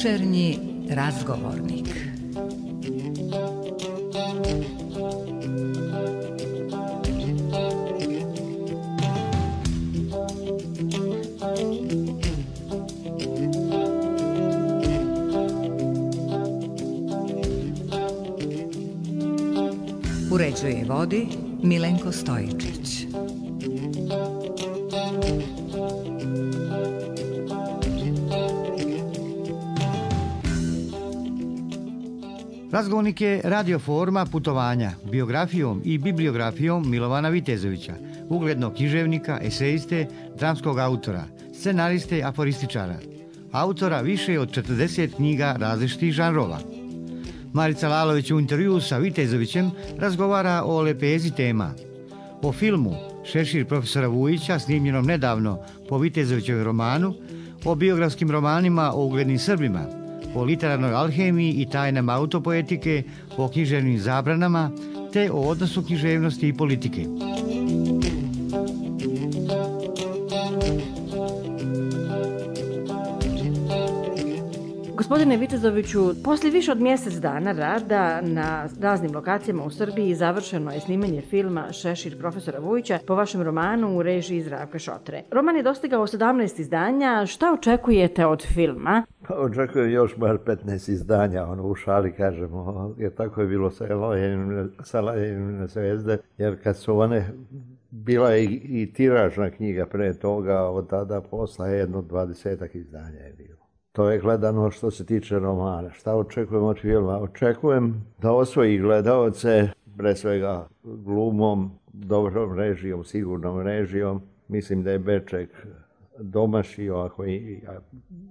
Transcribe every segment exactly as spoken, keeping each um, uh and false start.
Večernji razgovornik. Uređuje i vodi Milenko Stojičić. Razgovornik je radio forma putovanja biografijom i bibliografijom Milovana Vitezovića, uglednog književnika, esejiste, dramskog autora, scenariste, aforističara, autora više od četrdeset knjiga različitih žanrova. Marica Lalović u intervjuu sa Vitezovićem razgovara o lepezi tema. O filmu Šešir profesora Vujića, snimljenom nedavno po Vitezovićevom romanu, o biografskim romanima o uglednim Srbima, o literarnoj alhemiji i tajnama autopoetike, o književnim zabranama, te o odnosu književnosti i politike. Gospodine Vitezoviću, poslije više od mjesec dana rada na raznim lokacijama u Srbiji završeno je snimanje filma Šešir profesora Vujića po vašem romanu u režiji Zdravka Šotre. Roman je dostigao sedamnaest izdanja. Šta očekujete od filma? Pa očekujem još bar petnaest izdanja, ono u šali kažemo, jer tako je bilo sa Lajevine zvezde, jer kad su one, bila je i, i tiražna knjiga pre toga, od tada posla jedno dvadesetak izdanja je bilo. To je gledano što se tiče romana. Šta očekujem od filma? Očekujem da osvoji gledaoce, pre svega glumom, dobrom režijom, sigurnom režijom. Mislim da je Beček domašio, ako i, a,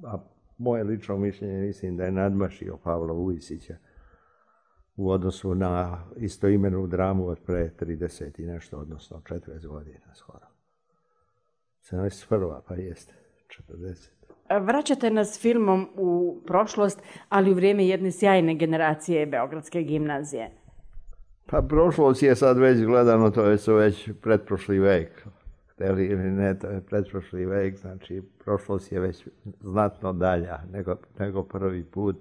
a moje lično mišljenje mislim da je nadmašio Pavla Vujisića u odnosu na istoimenu dramu od pre trideset i nešto, odnosno četrdeset godina skoro. sedamdeset prva pa jeste, četrdeset. Vraćate nas filmom u prošlost, ali u vrijeme jedne sjajne generacije Beogradske gimnazije. Pa prošlost je sad već gledano, to je već pretprošli vek. Hteli ili ne, to je pretprošli vek, znači prošlost je već znatno dalja nego, nego prvi put.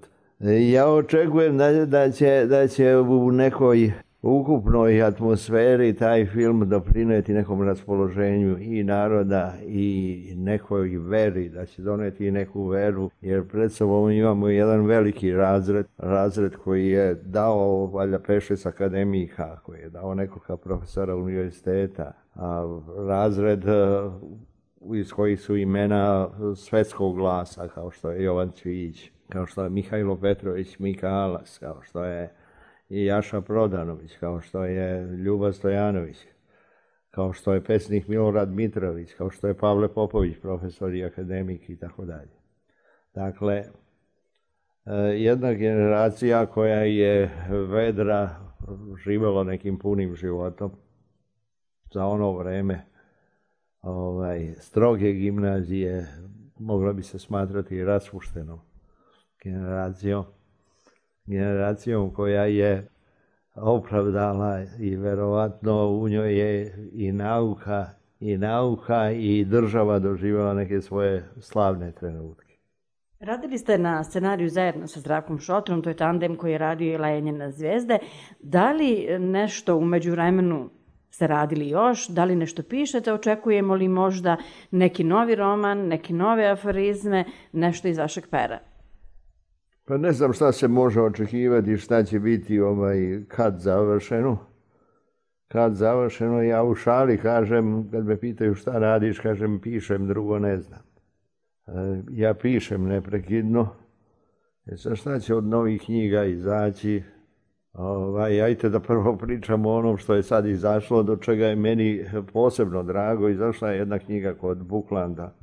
Ja očekujem da, da, će, da će u nekoj ukupnoj atmosferi taj film doprineti nekom raspoloženju i naroda i nekoj veri, da će doneti neku veru, jer pred sobom imamo jedan veliki razred, razred koji je dao valjda pet šest akademika, koji je dao nekoga profesora univerziteta, a razred iz kojih su imena svetskog glasa, kao što je Jovan Cvijić, kao što je Mihajlo Petrović Mikalas, kao što je i Jaša Prodanović, kao što je Ljuba Stojanović, kao što je pesnik Milorad Mitrović, kao što je Pavle Popović, profesor i akademik i tako dalje. Dakle, jedna generacija koja je vedra, živjela nekim punim životom, za ono vreme ovaj, stroge gimnazije, mogla bi se smatrati raspuštenom generacijom. generacijom koja je opravdala i verovatno u njoj je i nauka, i nauka i država doživjela neke svoje slavne trenutke. Radili ste na scenariju zajedno sa Zdravkom Šotrom, to je tandem koji je radio i Lajevine zvezde. Da li nešto u međuvremenu ste radili još? Da li nešto pišete? Očekujemo li možda neki novi roman, neke nove aforizme, nešto iz vašeg pera? Pa ne znam šta se može očekivati, šta će biti ovaj, kad završeno. Kad završeno, ja u šali kažem, kad me pitaju šta radiš, kažem pišem, drugo ne znam. Ja pišem neprekidno. E sad šta će od novih knjiga izaći? Ovaj, ajte da prvo pričamo o onom što je sad izašlo, do čega je meni posebno drago. Izašla je jedna knjiga kod Buklanda,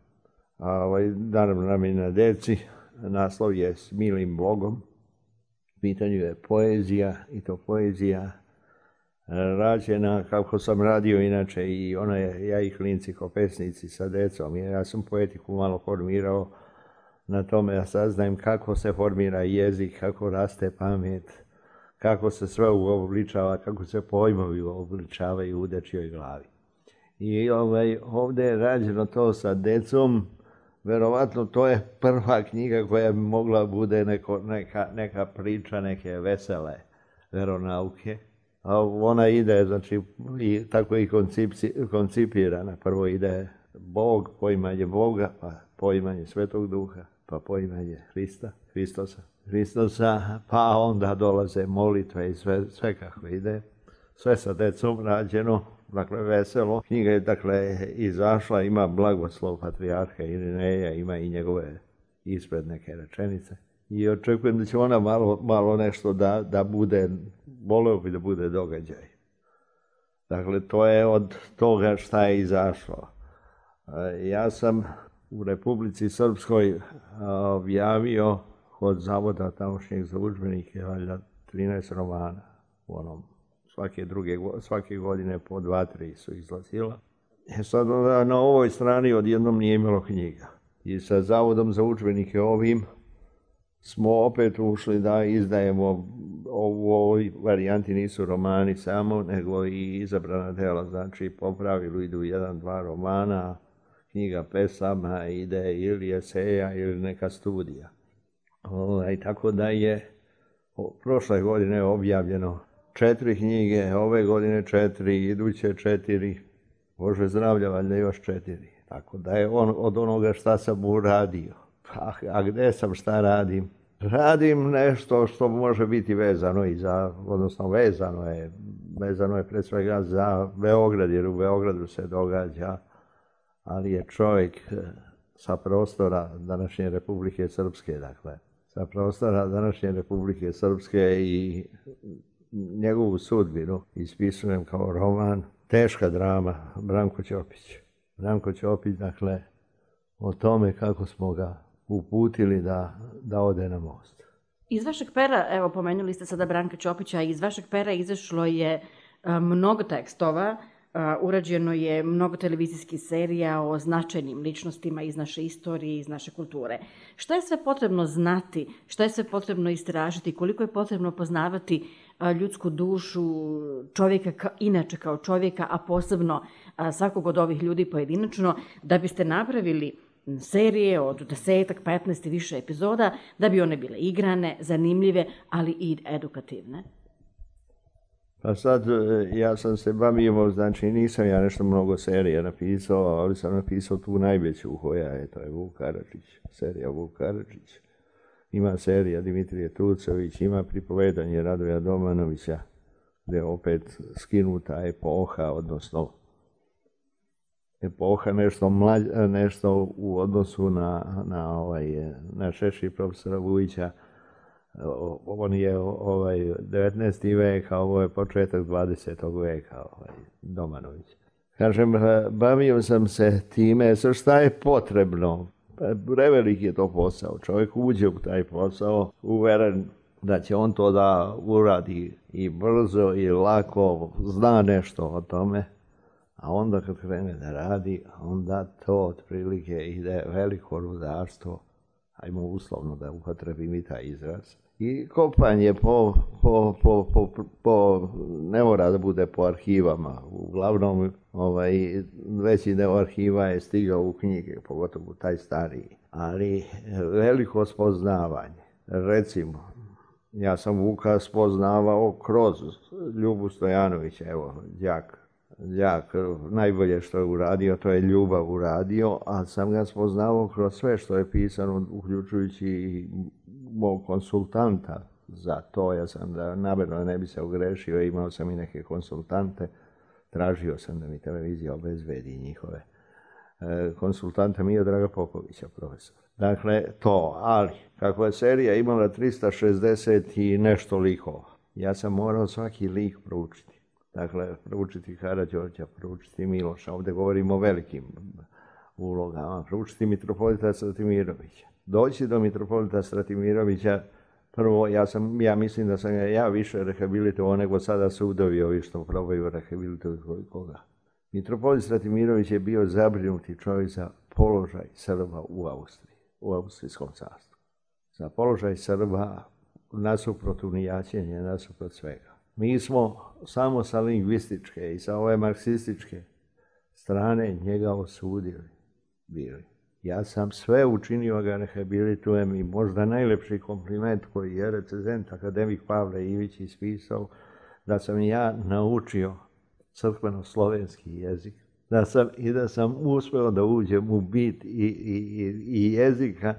ovaj, naravno namijenjena deci. Naslov je S milim Bogom. U pitanju je poezija, i to poezija rađena kako sam radio inače i ona je, ja i klinci ko pesnici sa decom. Ja sam poetiku malo formirao na tome da saznajem kako se formira jezik, kako raste pamet, kako se sve uobličava, kako se pojmovi uobličavaju u dečjoj glavi. I ovaj, ovdje je rađeno to sa decom, verovatno to je prva knjiga koja bi mogla bude neko, neka, neka priča, neke vesele veronauke. A ona ide, znači, i tako je i koncipirana. Prvo ide Bog, poimanje Boga, pa poimanje Svetog Duha, pa poimanje Hrista, Hristosa. Hristosa, pa onda dolaze molitve i sve, sve kako ide. Sve sa decom rađeno, dakle veselo. Knjiga je dakle izašla, ima blagoslov patrijarha Irineja, ima i njegove ispred neke rečenice. I očekujem da će ona malo, malo nešto da, da bude, voleo bi da bude događaj. Dakle, to je od toga šta je izašlo. Ja sam u Republici Srpskoj objavio od Zavoda tamošnjeg za udžbenike valjda trinaest romana u onom. Svake, druge, svake godine po dva, tri su izlazila. E sad na ovoj strani odjednom nije imalo knjiga. I sa Zavodom za udžbenike ovim smo opet ušli da izdajemo, u ovoj varijanti nisu romani samo, nego i izabrana dela. Znači po pravilu idu jedan, dva romana, knjiga pesama, ide ili eseja ili neka studija. I tako da je prošle godine objavljeno četiri knjige, ove godine četiri, iduće četiri, Bože zdravlja, valjda još četiri. Tako da je on od onoga šta sam uradio. A, a gde sam, šta radim? Radim nešto što može biti vezano i za, odnosno vezano je, vezano je pre svega za Beograd, jer u Beogradu se događa, ali je čovjek sa prostora današnje Republike Srpske, dakle, sa prostora današnje Republike Srpske i njegovu sudbinu ispisujem kao roman, teška drama, Branko Ćopić. Branko Ćopić, dakle, o tome kako smo ga uputili da, da ode na most. Iz vašeg pera, evo pomenuli ste sada Branka Ćopića, iz vašeg pera izašlo je a, mnogo tekstova, a, urađeno je mnogo televizijskih serija o značajnim ličnostima iz naše istorije, iz naše kulture. Šta je sve potrebno znati, šta je sve potrebno istražiti, koliko je potrebno poznavati a, ljudsku dušu, čovjeka ka, inače kao čovjeka, a posebno a, svakog od ovih ljudi pojedinačno, da biste napravili serije od desetak, petnaest i više epizoda, da bi one bile igrane, zanimljive, ali i edukativne? Pa sad, ja sam se bavio, znači nisam ja nešto mnogo serija napisao, ali sam napisao tu najveću koja je, to je Vuk Karadžić, serija Vuk Karadžić. Ima serija Dimitrije Tucović, ima pripovedanje Radoja Domanovića, gdje je opet skinuta epoha, odnosno epoha nešto, mlađ, nešto u odnosu na, na, ovaj, na Šešir profesora Vujića. On je ovaj, devetnaesti vek, a ovo je početak dvadesetog veka, ovaj, Domanović. Kažem, bavio sam se time, sa šta je potrebno. Prevelik je to posao. Čovjek uđe u taj posao, uveren da će on to da uradi i brzo i lako, zna nešto o tome. A onda kad krene da radi, onda to otprilike ide veliko rudarstvo, ajmo uslovno da upotrebim i taj izraz. I kopanje po, po, po, po, po, ne mora da bude po arhivama, uglavnom ovaj, veći deo arhiva je stigao u knjige, pogotovo taj stariji. Ali veliko spoznavanje, recimo, ja sam Vuka spoznavao kroz Ljubu Stojanovića, evo, đak. Đak, najbolje što je uradio, to je ljubav uradio, a sam ga spoznavao kroz sve što je pisano, uključujući i mog konsultanta za to. Ja sam da namerno ne bi se ogrešio, imao sam i neke konsultante, tražio sam da mi televizija obezbedi njihove e, konsultanta Miodraga Popovića, profesor. Dakle, to, ali kako je serija imala trista šezdeset i nešto likova, ja sam morao svaki lik proučiti. Dakle, proučiti Karađorđa, proučiti Miloša, ovdje govorimo o velikim ulogama, proučiti mitropolita Stratimirovića. Doći do mitropolita Stratimirovića, prvo, ja, sam, ja mislim da sam ja više rehabilitovao nego sada sudovi ovi što probaju rehabilitovati koga. Mitropolit Stratimirović je bio zabrinuti čovjek za položaj Srba u Austriji, u Austrijskom carstvu. Za položaj Srba nasuprot unijaćenja, nasuprot svega. Mi smo samo sa lingvističke i sa ove marksističke strane njega osudili bili. Ja sam sve učinio ga rehabilitujem i možda najlepši kompliment koji je recenzent akademik Pavle Ivić ispisao, da sam ja naučio crkveno-slovenski jezik, da sam, i da sam uspeo da uđem u bit i, i, i jezika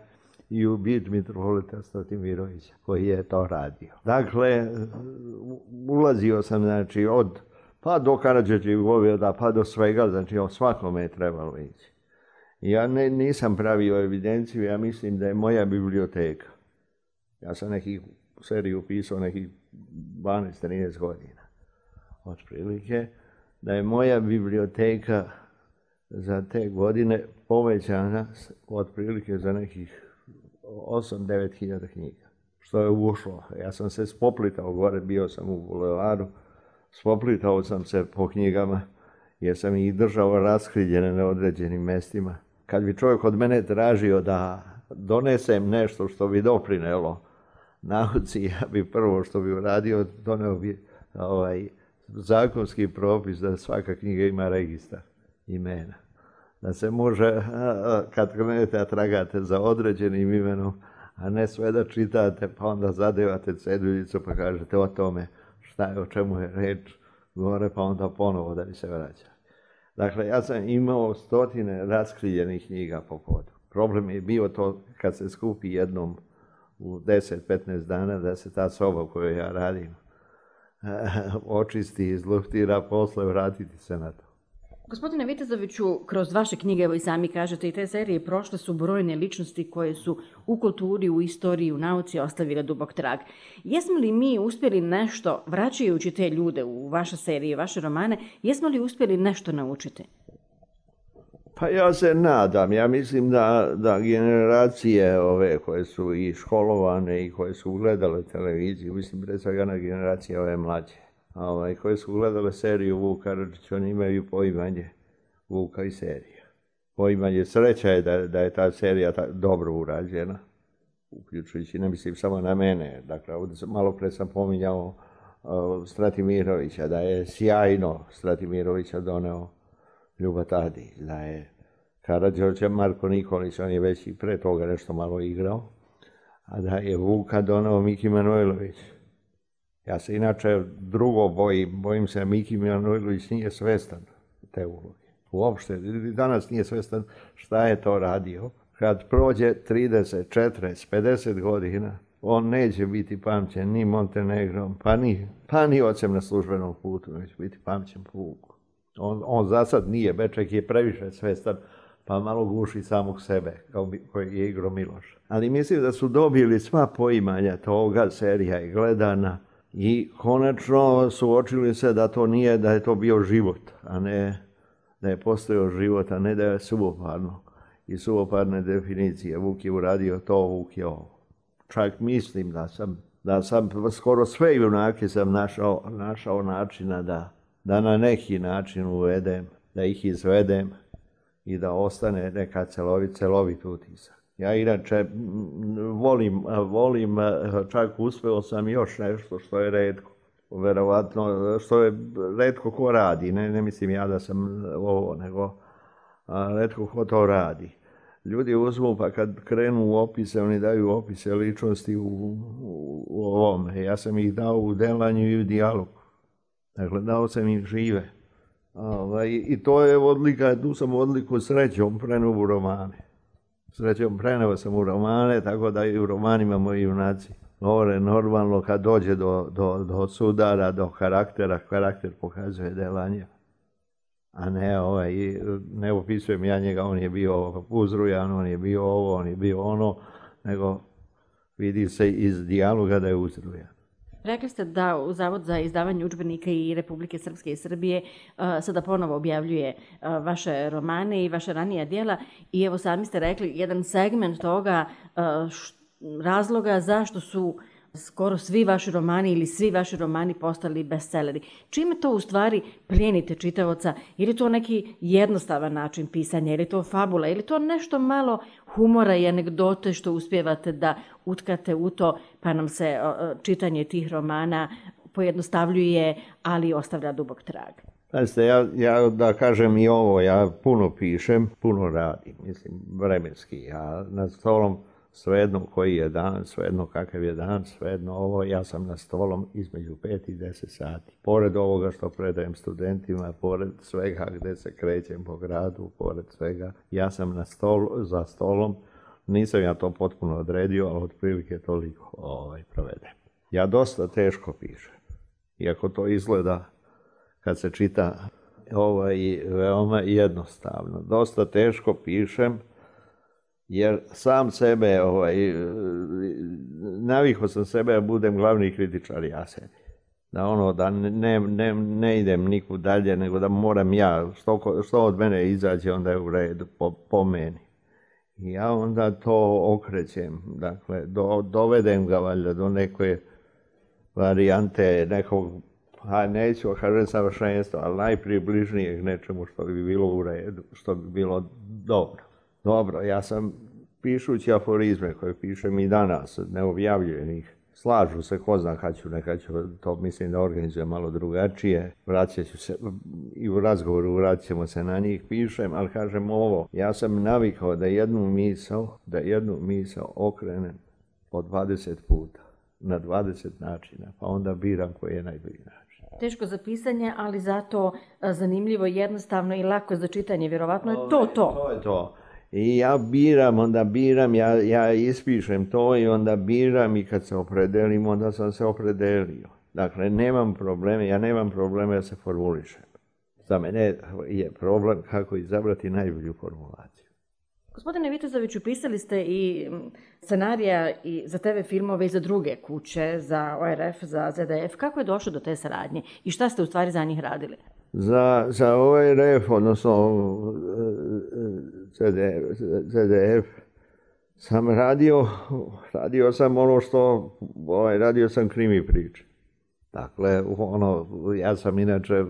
i u bit mitropolita Stratimirovića, koji je to radio. Dakle, ulazio sam, znači, od, pa do Karadžićevih goveda, pa do svega, znači, o svakome je trebalo ići. Ja ne, nisam pravio evidenciju, ja mislim da je moja biblioteka. Ja sam nekih seriju pisao nekih dvanaest trinaest godina. Otprilike, da je moja biblioteka za te godine povećana otprilike za nekih osam do devet hiljada knjiga. Što je ušlo. Ja sam se spoplitao gore, bio sam u bulevaru, spoplitao sam se po knjigama, jer sam ih držao raskriljene na određenim mestima. Kad bi čovjek od mene tražio da donesem nešto što bi doprinelo nauci, ja bi prvo što bi uradio, doneo bi ovaj, zakonski propis da svaka knjiga ima registar imena. Da se može, kad krenete da tragate za određenim imenom, a ne sve da čitate, pa onda zadevate ceduljicu pa kažete o tome šta je, o čemu je reč gore, pa onda ponovo da bi se vraća. Dakle, ja sam imao stotine raskriljenih knjiga po podu. Problem je bio to kad se skupi jednom u deset do petnaest dana da se ta soba koju ja radim očisti, izluftira, posle vratiti se na to. Gospodine Vitezoviću, kroz vaše knjige, evo i sami kažete, i te serije prošle su brojne ličnosti koje su u kulturi, u istoriji, u nauci ostavile dubok trag. Jesmo li mi uspjeli nešto, vraćajući te ljude u vaše serije, vaše romane, jesmo li uspjeli nešto naučiti? Pa ja se nadam. Ja mislim da, da generacije ove koje su i školovane i koje su gledale televiziju, mislim pre svega na generacije ove mlađe, ovaj, koje su gledale seriju Vuk Karadžić, oni imaju poimanje Vuka i serija. Poimanje, sreća je da, da je ta serija ta, dobro urađena, uključujući, ne mislim samo na mene. Dakle, malo pre sam pominjao uh, Stratimirovića, da je sjajno Stratimirovića doneo Ljuba Tadić, da je Karađorđe Marko Nikolić, on je već i pre toga nešto malo igrao, a da je Vuka doneo Miki Manojlović. Ja se inače drugo bojim, bojim se da Miki Manojlović nije svestan te uloge. Uopšte, danas nije svestan šta je to radio. Kad prođe trideset, četrdeset, pedeset godina, on neće biti pamćen ni Montenegrom, pa ni, pa ni ocem na službenom putu, neće biti pamćen po Vuku. On, on za sad nije, Beček je previše svestan, pa malo guši samog sebe, kao koji je igrao Miloš. Ali mislim da su dobili sva poimanja toga, serija je gledana i konačno suočili se da to nije, da je to bio život, a ne da je postojao život, a ne da je suvoparno. I suvoparne definicije, Vuk je uradio to, Vuk je ovo. Čak mislim da sam, da sam skoro sve junake sam našao, našao načina da da na neki način uvedem, da ih izvedem i da ostane neka celovit, celovit utisak. Ja inače volim, volim, čak uspeo sam još nešto što je retko, verovatno, što je retko ko radi, ne, ne mislim ja da sam ovo, nego retko ko to radi. Ljudi uzmu pa kad krenu u opise, oni daju opise ličnosti u, u, u ovome. Ja sam ih dao u delanju i u dijalogu. Dakle, dao sam im žive. Ovaj, I to je odlika, tu sam odliku srećom preneo u romane. Srećom preneo sam u romane, tako da i u romanima moji junaci govore normalno kad dođe do, do, do sudara, do karaktera, karakter pokazuje delanje. A ne, ovaj, ne opisujem ja njega, on je bio uzrujan, on je bio ovo, on je bio ono, nego vidi se iz dijaloga da je uzrujan. Rekli ste da u Zavod za izdavanje udžbenika i Republike Srpske i Srbije uh, sada ponovo objavljuje uh, vaše romane i vaše ranija djela i evo sami ste rekli jedan segment toga uh, š, razloga zašto su skoro svi vaši romani ili svi vaši romani postali bestseleri. Čime to u stvari plijenite čitaoca? Je li to neki jednostavan način pisanja? Je li to fabula? Je li to nešto malo humora i anegdote što uspijevate da utkate u to pa nam se čitanje tih romana pojednostavljuje, ali ostavlja dubok trag? Znači, ja, ja da kažem i ovo, ja puno pišem, puno radim, mislim, vremenski. Ja na stolom, svejedno koji je dan, svejedno kakav je dan, svejedno ovo, ja sam na stolom između pet i deset sati. Pored ovoga što predajem studentima, pored svega gde se krećem po gradu, pored svega, ja sam na stolu, za stolom, nisam ja to potpuno odredio, ali otprilike toliko ovaj, provedem. Ja dosta teško pišem, iako to izgleda kad se čita ovaj, veoma jednostavno. Dosta teško pišem, jer sam sebe, ovaj, navikao sam sebe da budem glavni kritičar ja sebi. Da ono, da ne, ne, ne idem nikud dalje, nego da moram ja, što, što od mene izađe, onda je u redu, po, po meni. I ja onda to okrećem, dakle, do, dovedem ga valjda do neke varijante, nekog, a neću kažem savršenstva, ali najpribližnijeg nečemu što bi bilo u redu, što bi bilo dobro. Dobro, ja sam pišući aforizme koje pišem i danas, ne objavljujem ih. Slažu se, ko zna kad ću, nekad ću to mislim da organizujem malo drugačije. Vraćat ću se, i u razgovoru vratit ćemo se na njih, pišem, ali kažem ovo, ja sam navikao da jednu misao, da jednu misao okrenem po dvadeset puta, na dvadeset načina, pa onda biram koji je najbolji način. Teško za pisanje, ali zato zanimljivo, jednostavno i lako za čitanje, vjerovatno je to to. To je to. I ja biram, onda biram, ja, ja ispišem to i onda biram i kad se opredelim, onda sam se opredelio. Dakle, nemam probleme, ja nemam probleme da se formulišem. Za mene je problem kako izabrati najbolju formulaciju. Gospodine Vitezoviću, pisali ste i scenarija i za te ve filmove i za druge kuće, za O R F, za Z D F. Kako je došlo do te saradnje i šta ste u stvari za njih radili? Za, za O R F, odnosno Z D F, sam radio, radio sam ono što, ovaj, radio sam krimi priče. Dakle, ono, ja sam inače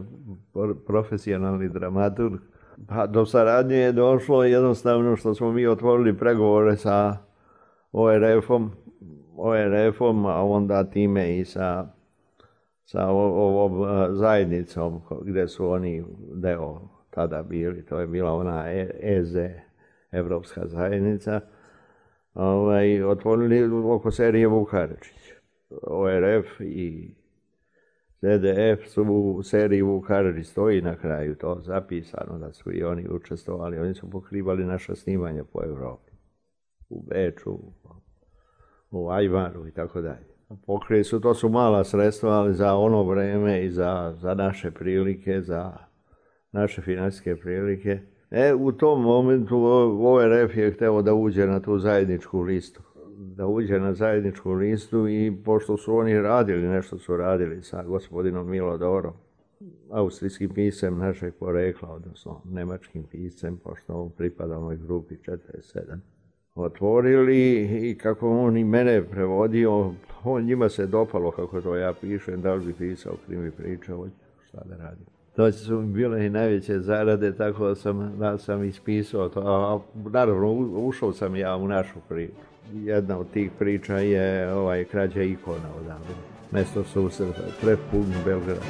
profesionalni dramaturg. Pa do saradnje je došlo jednostavno što smo mi otvorili pregovore sa O R F-om, O R F-om, a onda time i sa, sa ovom zajednicom gdje su oni deo tada bili, to je bila ona E Z, Evropska zajednica, ovaj, otvorili oko serije Vuk Karadžić. O R F i Z D F su u seriji Vuk Karadžić, stoji na kraju to zapisano da su i oni učestvovali, oni su pokrivali naša snimanja po Evropi, u Beču, u Ajvaru i tako dalje. Pokrili su, to su mala sredstva, ali za ono vreme i za, za naše prilike, za naše financijske prilike. E, u tom momentu O R F je hteo da uđe na tu zajedničku listu. Da uđe na zajedničku listu i pošto su oni radili, nešto su radili sa gospodinom Milodorom, austrijskim piscem našeg porekla, odnosno nemačkim piscem, pošto on pripada onoj grupi četrdeset sedam. Otvorili i kako on i mene prevodio, on njima se dopalo kako to ja pišem, da li bi pisao krimi priče, šta da radim. To su mi bile i najveće zarade, tako da sam, da sam ispisao to, a naravno ušao sam ja u našu priču. Jedna od tih priča je ovaj, krađa ikona odavde, mesto susreta, prepun Belgrada.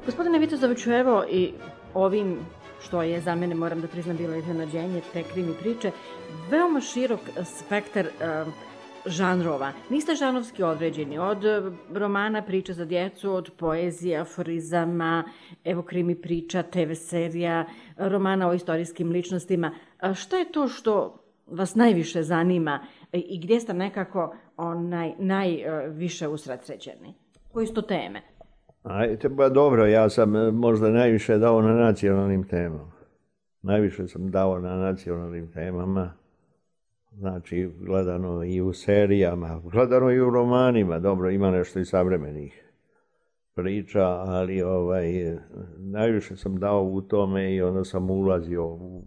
Gospodine Vitezoviću, evo i ovim što je za mene, moram da priznam, bilo iznenađenje, te krimi priče, veoma širok spektar uh, žanrova. Niste žanrovski određeni, od romana priče za djecu, od poezije, aforizama, evo krimi priča, te ve serija, romana o istorijskim ličnostima. A šta je to što vas najviše zanima i gdje ste nekako onaj, najviše usredsređeni? Koji su to teme? Ajde, ba dobro, ja sam možda najviše dao na nacionalnim temama. Najviše sam dao na nacionalnim temama. Znači, gledano i u serijama, gledano i u romanima, dobro, ima nešto i savremenih priča, ali ovaj, najviše sam dao u tome i onda sam ulazio, u,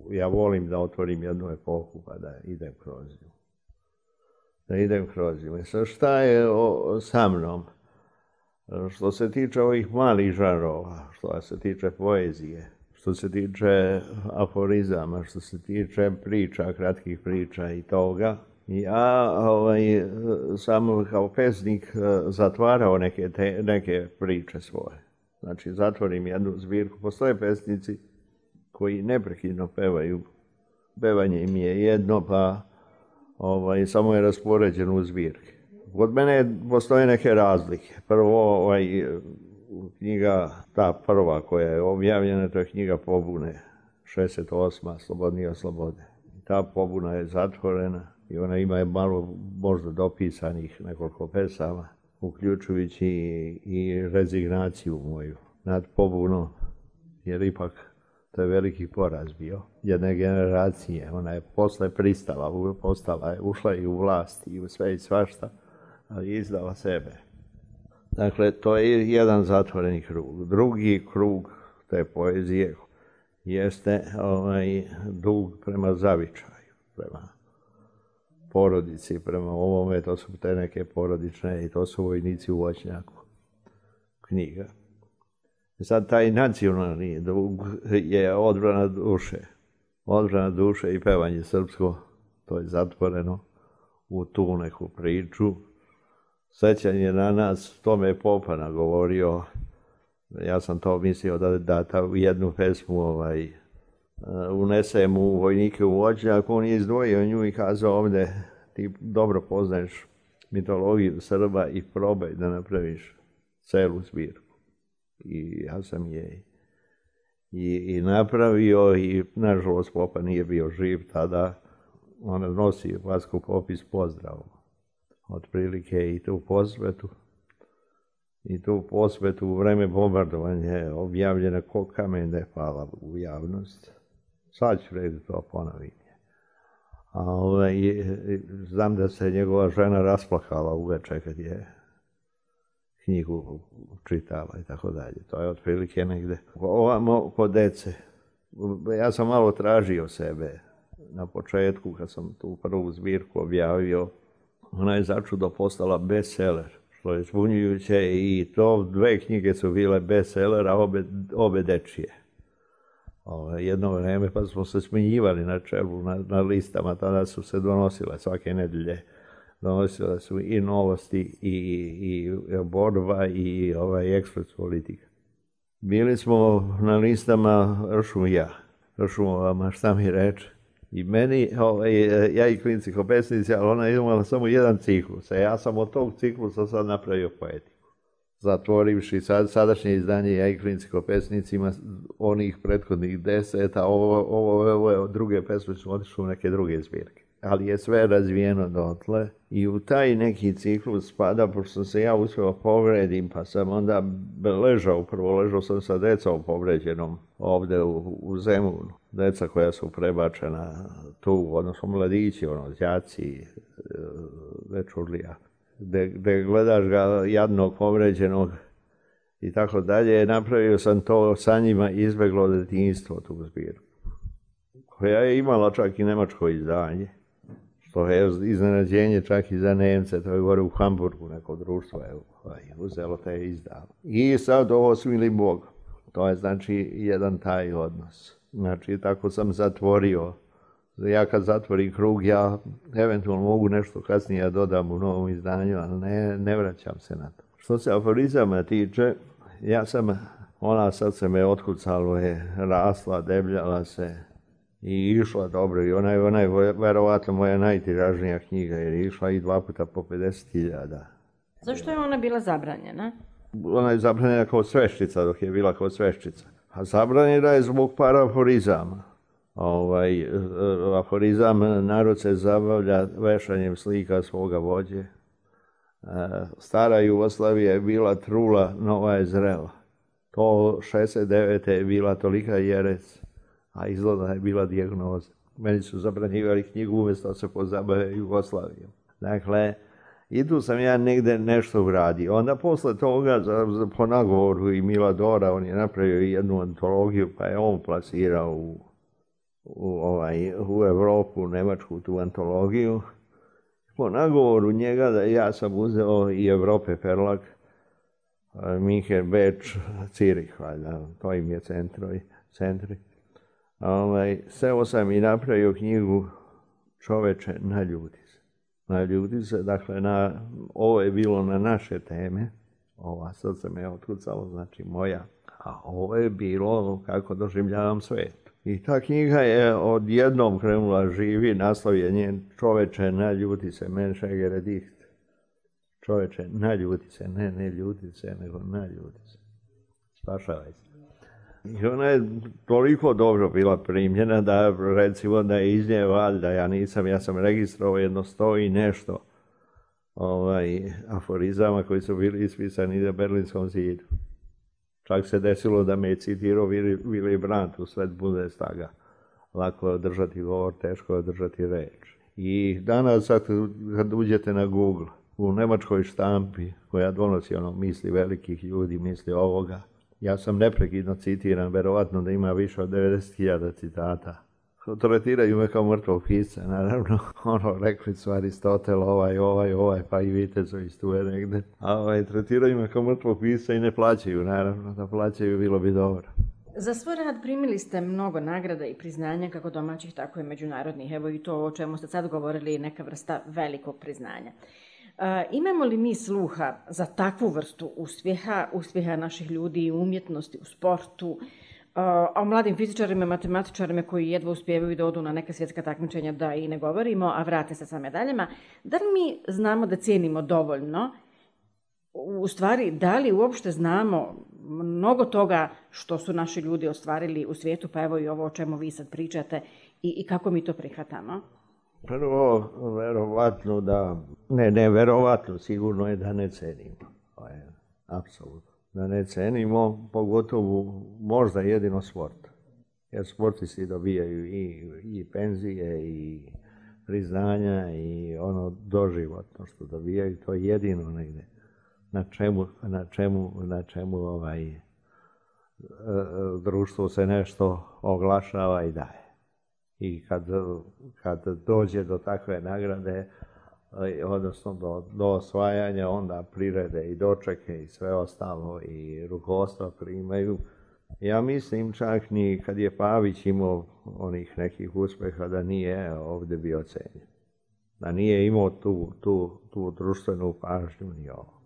ja volim da otvorim jednu epohu pa da idem kroz nju. Da idem kroz nju. Sad šta je o, sa mnom? Što se tiče ovih malih žanrova, što se tiče poezije, što se tiče aforizama, što se tiče priča, kratkih priča i toga, ja ovaj, sam kao pesnik zatvarao neke, te, neke priče svoje. Znači, zatvorim jednu zbirku. Postoje pesnici koji neprekidno pevaju. Pevanje im je jedno, pa ovaj, samo je raspoređeno u zbirke. Kod mene postoje neke razlike. Prvo, ovaj, knjiga, ta prva koja je objavljena, to je knjiga Pobune, šezdeset osma Slobodnija slobode. Ta pobuna je zatvorena i ona ima malo možda dopisanih nekoliko pesama, uključujući i, i rezignaciju moju nad pobunom, jer ipak to je veliki poraz bio jedne generacije. Ona je posle pristala, postala je, ušla i u vlast i u sve i svašta, ali izdala sebe. Dakle, to je jedan zatvoreni krug. Drugi krug te poezije jeste ovaj, dug prema zavičaju, prema porodici, prema ovome, to su te neke porodične i to su vojnici u voćnjaku knjiga. Sad taj nacionalni dug je odbrana duše. Odbrana duše i pevanje srpsko, to je zatvoreno u tu neku priču. Sećanje na nas, to me je Popa nagovorio, ja sam to mislio da, da ta u jednu pesmu ovaj, unesem u vojnike u voćnjak, on je izdvojio nju i kazao ovdje, ti dobro poznaješ mitologiju Srba i probaj da napraviš celu zbirku. I ja sam je i, i napravio i nažalost Popa nije bio živ tada, ona nosi Vasko popis pozdravom. Otprilike i tu posvetu. I tu posvetu u vreme bombardovanja je objavljena ko kamen da je pala u javnost. Sad ću reći to ponovim. A ovaj, znam da se njegova žena rasplakala uveče kad je knjigu čitala i tako dalje. To je otprilike negde. Ovamo kod dece. Ja sam malo tražio sebe na početku kad sam tu prvu zbirku objavio. Ona je začudo postala bestseller, što je zbunjujuće i to dve knjige su bile bestseller, a obe, obe dečije. O, jedno vreme pa smo se smenjivali na čelu, na, na listama, tada su se donosile svake nedelje. Donosile su i Novosti, i, i Borba, i ovaj Ekspres politika. Bili smo na listama Ršum i ja, Ršumovama, šta mi reče. I meni, ovaj, ja i klinci ko pesnici, ali ona je imala samo jedan ciklus. A ja sam od tog ciklusa sad napravio poetiku. Zatvorivši sad, sadašnje izdanje ja i klinci ko pesnici ima onih prethodnih deset, a ovo, ovo, ovo druge pesme su otišle u neke druge zbirke. Ali je sve razvijeno dotle i u taj neki ciklus spada, pošto sam se ja uspio povredim, pa sam onda ležao, prvo ležao sam sa decom povređenom ovde u, u Zemunu. Deca koja su prebačena tu, odnosno mladići, ono, đaci, dečurlija, gde, gde gledaš ga jadnog povređenog i tako dalje. Napravio sam to sa njima izbeglo detinjstvo, tu zbirku, koja je imala čak i nemačko izdanje. To je iznenađenje čak i za Nemce, to je gore u Hamburgu, neko društvo je uzelo te je izdalo. I sad ovo smili Bog, to je znači jedan taj odnos. Znači tako sam zatvorio, ja kad zatvorim krug, ja eventualno mogu nešto kasnije dodam u novom izdanju, ali ne, ne vraćam se na to. Što se aforizama tiče, ja sam Ona srce me otkucalo je, rasla, debljala se i išla dobro. I ona je, ona je verovatno moja najtiražnija knjiga jer je išla i dva puta po pedeset hiljada. Zašto je ona bila zabranjena? Ona je zabranjena kao sveščica dok je bila kao sveščica. A zabranjena je zbog par aforizama. Ovaj, aforizam narod se zabavlja vešanjem slika svoga vođe. Stara Jugoslavija je bila trula, nova je zrela. To šezdeset devete je bila tolika jerec, a izgleda je bila dijagnoza. Meni su zabranjivali knjigu umjesto da se pozabave Jugoslavijom. Dakle, i tu sam ja negde nešto uradio. Onda posle toga, za, za, po nagovoru i Miladora, on je napravio jednu antologiju, pa je on plasirao u, u, ovaj, u Evropu, u Nemačku, tu antologiju. Po nagovoru njega da ja sam uzeo i Evrope Perlak, Minhen, Beč, Cirih, valjda, to im je centrovi, centri. Ovaj, seo sam i napravio knjigu Čoveče, naljuti se. Naljuti se, dakle, na, ovo je bilo na naše teme, ova srce me je otkucalo, znači moja, a ovo je bilo kako doživljavam svet. I ta knjiga je odjednom krenula živi, naslov je njen Čoveče, naljuti se, Menšegere diht. Čoveče, naljuti se, ne, ne ljuti se, nego naljuti se. Spašavaj se. I ona je toliko dobro bila primljena da, recimo, da je iz nje valjda, ja nisam, ja sam registrovao jedno sto i nešto ovaj, aforizama koji su bili ispisani na Berlinskom zidu. Čak se desilo da me je citirao Willy Brandt u sred Bundestaga. Lako je održati govor, teško je održati reč. I danas, sad, kad uđete na Google, u nemačkoj štampi, koja donosi ono misli velikih ljudi, misli ovoga, ja sam neprekidno citiran, verovatno da ima više od devedeset hiljada citata. Tretiraju me kao mrtvog pisca, naravno. Ono, rekli su Aristotel, ovaj, ovaj, ovaj, pa i Vitezović tu je negde. A ovaj, tretiraju me kao mrtvog pisca i ne plaćaju, naravno. Da plaćaju, bilo bi dobro. Za svoj rad primili ste mnogo nagrada i priznanja, kako domaćih, tako i međunarodnih. Evo i to o čemu ste sad govorili je neka vrsta velikog priznanja. E, imamo li mi sluha za takvu vrstu uspjeha, uspjeha naših ljudi u umjetnosti, u sportu, a o mladim fizičarima, matematičarima koji jedva uspijevaju da odu na neka svjetska takmičenja, da i ne govorimo, a vrate se sa medaljama. Da li mi znamo da cijenimo dovoljno? U stvari, da li uopšte znamo mnogo toga što su naši ljudi ostvarili u svijetu, pa evo i ovo o čemu vi sad pričate, i, i kako mi to prihvatamo? Prvo, verovatno da, ne, ne, verovatno, sigurno je da ne cenimo. To je apsolutno. Da ne cenimo, pogotovo možda jedino sport. Jer sportisti dobijaju i, i penzije, i priznanja, i ono doživotno što dobijaju, to je jedino negde. Na čemu, na čemu, na čemu ovaj, društvo se nešto oglašava i daje. I kad, kad dođe do takve nagrade, odnosno do, do osvajanja, onda prirede i dočeke i sve ostalo i rukovodstva primaju. Ja mislim čak ni kad je Pavić imao onih nekih uspeha da nije ovdje bio cenjen. Da nije imao tu, tu, tu društvenu pažnju ni ovo.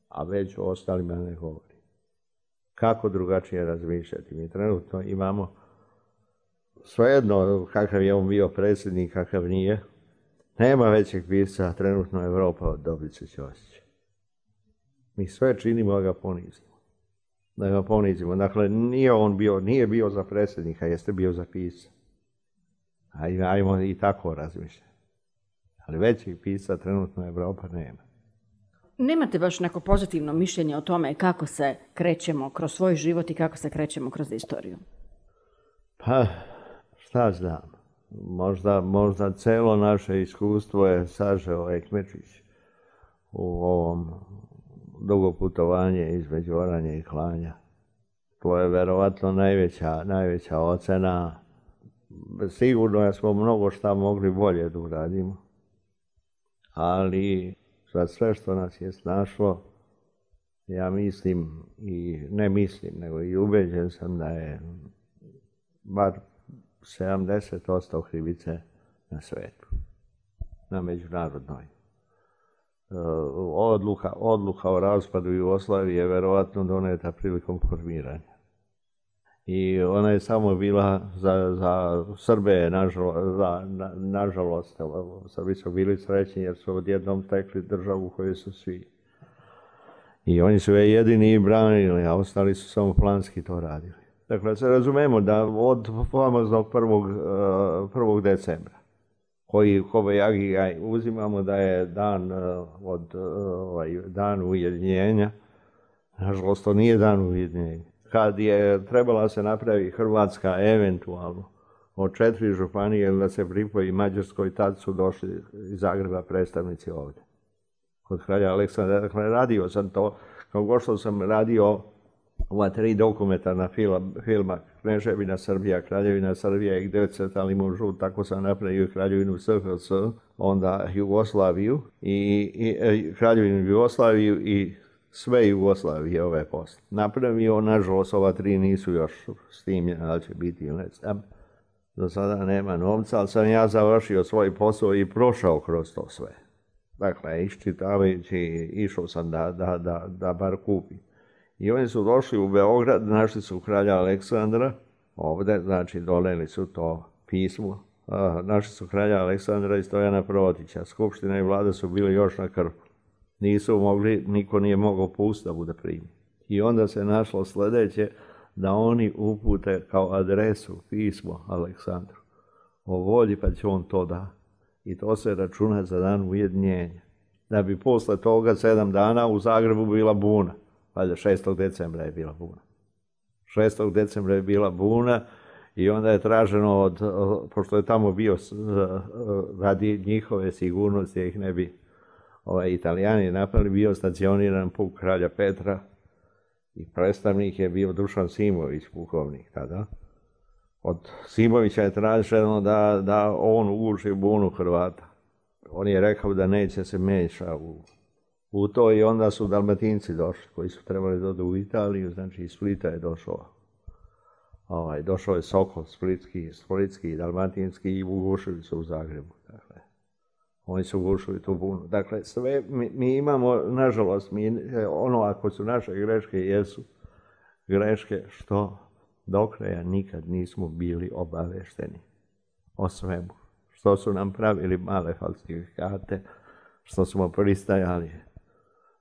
A već o ostalima ne govori. Kako drugačije razmišljati? Mi trenutno imamo svejedno kakav je on bio predsjednik, kakav nije. Nema većeg pisca trenutno Evropa od Dobrice Ćosića. Mi sve činimo da ga ponizimo. Da ga ponizimo. Dakle, nije on bio, nije bio za predsjednika, jeste bio za pisca. Ajmo, ajmo i tako razmišljati. Ali većeg pisca trenutno Evropa nema. Nemate baš neko pozitivno mišljenje o tome kako se krećemo kroz svoj život i kako se krećemo kroz istoriju? Pa, šta znam. Možda, možda celo naše iskustvo je sažeo Ekmečić u ovom dugo putovanje između oranja i klanja. To je verovatno najveća, najveća ocena. Sigurno da smo mnogo šta mogli bolje da uradimo. Ali za sve što nas je snašlo, ja mislim i ne mislim, nego i ubeđen sam da je bar sedamdeset posto krivice na svetu, na međunarodnoj. odluka, odluka o raspadu Jugoslavije je verovatno doneta prilikom formiranja. I ona je samo bila za, za Srbe, nažalost, za, na, nažalost, Srbi su bili srećni jer su odjednom stekli državu koju su svi. I oni su je jedini branili, a ostali su samo planski to radili. Dakle, se razumemo da od famoznog prvog decembra, koji Kobajagi uzimamo da je dan od ovaj, dan ujedinjenja, nažalost to nije dan ujedinjenja. Kad je trebala se napravi Hrvatska eventualno od četiri županije da se pripoji Mađarskoj, tad su došli iz Zagreba predstavnici ovdje. Kod kralja Aleksandra, dakle, radio sam to, kao gošto sam radio ova tri dokumentarna filma, filma Kneževina Srbija, Kraljevina Srbija i gdje crtali mužu, tako sam napravio Kraljevinu S H S, onda Jugoslaviju i, i, i Kraljevinu Jugoslaviju i sve Jugoslavije ove posle. Napravio, nažalost, ova tri nisu još snimljena, ali će biti ili ne znam. Do sada nema novca, ali sam ja završio svoj posao i prošao kroz to sve. Dakle, iščitavajući, išao sam da, da, da, da bar kupim. I oni su došli u Beograd, našli su kralja Aleksandra, ovdje, znači doneli su to pismo. Našli su kralja Aleksandra i Stojana Protića. Skupština i vlada su bili još na krvu. Nisu mogli, niko nije mogao po Ustavu da primi. I onda se našlo sljedeće, da oni upute kao adresu pismo Aleksandru o volji, pa će on to da. I to se računa za dan ujedinjenja. Da bi posle toga sedam dana u Zagrebu bila buna. Valjda šestog decembra je bila buna. šestog decembra je bila buna i onda je traženo, od, pošto je tamo bio radi njihove sigurnosti, ih ne bi ovaj, Italijani napravili, bio stacioniran puk kralja Petra i predstavnik je bio Dušan Simović, pukovnik tada. Od Simovića je traženo da, da on uguši bunu Hrvata. On je rekao da neće se meša u, u to i onda su Dalmatinci došli, koji su trebali doći u Italiju, znači iz Splita je došao. Ovaj, došao je Sokol, Splitski, Splitski, Dalmatinski i ugušili su u Zagrebu. Dakle, oni su ugušili tu bunu. Dakle, sve mi, mi imamo, nažalost, mi, ono ako su naše greške, jesu greške što do kraja nikad nismo bili obavešteni o svemu. Što su nam pravili male falsifikate, što smo pristajali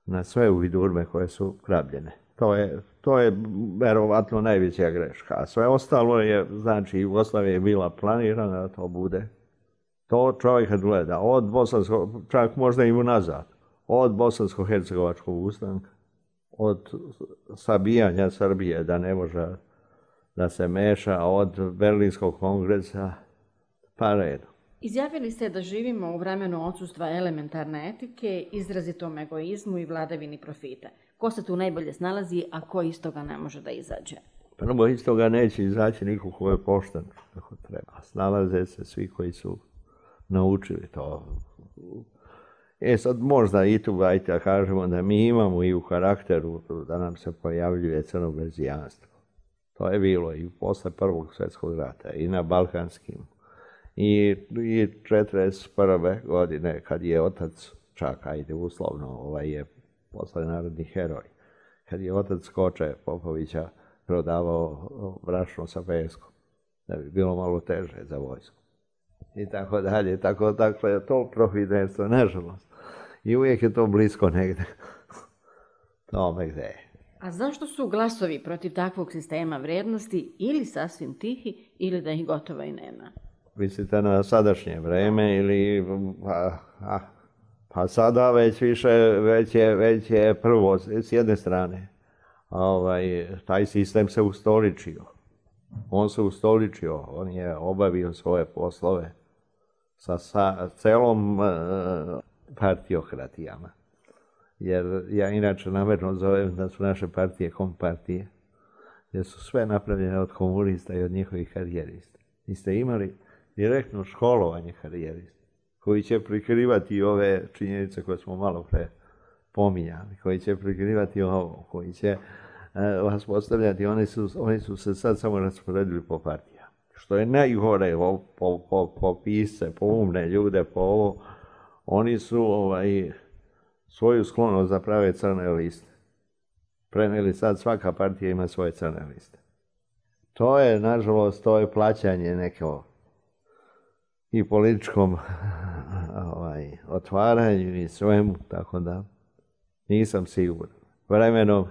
na sve uvidurme koje su krabljene. To je, to je verovatno najveća greška. A sve ostalo je, znači, Jugoslavija je bila planirana da to bude. To čovjek kad gleda, od bosanskog, čak možda i unazad, od bosansko-hercegovačkog ustanka, od sabijanja Srbije da ne može da se meša, od Berlinskog kongresa, pa redom. Izjavili ste da živimo u vremenu odsustva elementarne etike, izrazitom egoizmu i vladavini profita. Ko se tu najbolje snalazi, a ko iz toga ne može da izađe? Prvo iz toga neće izaći niko ko je pošten, kako treba. Snalaze se svi koji su naučili to. E sad možda i tu ajte da kažemo da mi imamo i u karakteru da nam se pojavljuje crnoberzijanstvo. To je bilo i posle Prvog svjetskog rata i na Balkanskim. I, i četrdeset prve godine kad je otac, čak ajde uslovno, ovaj je posle narodni heroj, kad je otac Koče Popovića prodavao brašno sa peskom, da bi bilo malo teže za vojsku. I tako dalje, tako dakle, to profiterstvo, nažalost. I uvijek je to blisko negde. Tome gde je. A zašto su glasovi protiv takvog sistema vrednosti ili sasvim tihi ili da ih gotovo i nema? Mislite na sadašnje vreme ili pa, a, pa sada već više, već je, već je prvo s jedne strane. Ovaj, taj sistem se ustoličio. On se ustoličio, on je obavio svoje poslove sa, sa celom uh, partiokratijama. Jer ja inače namjerno zovem da su naše partije kompartije, jer su sve napravljene od komunista i od njihovih karijerista. Vi ste imali direktno školovanje karijerista, koji će prikrivati ove činjenice koje smo malo pre pominjali, koji će prikrivati ovo, koji će uh, vas postavljati, oni su, oni su se sad samo rasporedili po partijama. Što je najgore po, po, po, po pisce, po umne ljude, po ovo, oni su ovaj, svoju sklonost da prave crne liste. Preneli sad svaka partija ima svoje crne liste. To je, nažalost, to je plaćanje neko i političkom ovaj, otvaranju i svemu, tako da nisam siguran. Vremenom,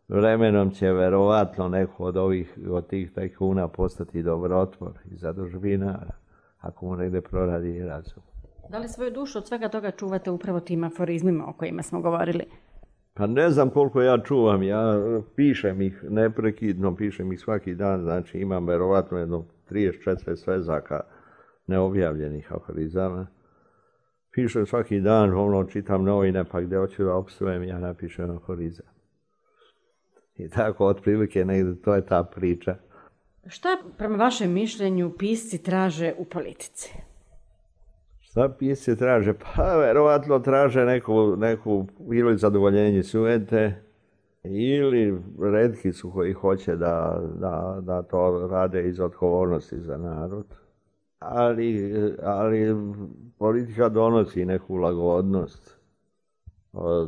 vremenom će verovatno neko od ovih, od tih tajkuna postati dobrotvor i zadužbinar, ako mu negde proradi razum. Da li svoju dušu od svega toga čuvate upravo tim aforizmima o kojima smo govorili? Pa ne znam koliko ja čuvam, ja pišem ih neprekidno, pišem ih svaki dan, znači imam verovatno jedno trideset četrdeset svezaka neobjavljenih aforizama. Pišem svaki dan, ono čitam novine, pa gdje hoću da opsujem, ja napišem aforizam. I tako, otprilike, negdje, to je ta priča. Šta, prema vašem mišljenju, pisci traže u politici? Šta pisci traže? Pa, verovatno traže neku, neku ili zadovoljenje sujete, ili retki su koji hoće da, da, da to rade iz odgovornosti za narod. Ali, ali politika donosi neku lagodnost.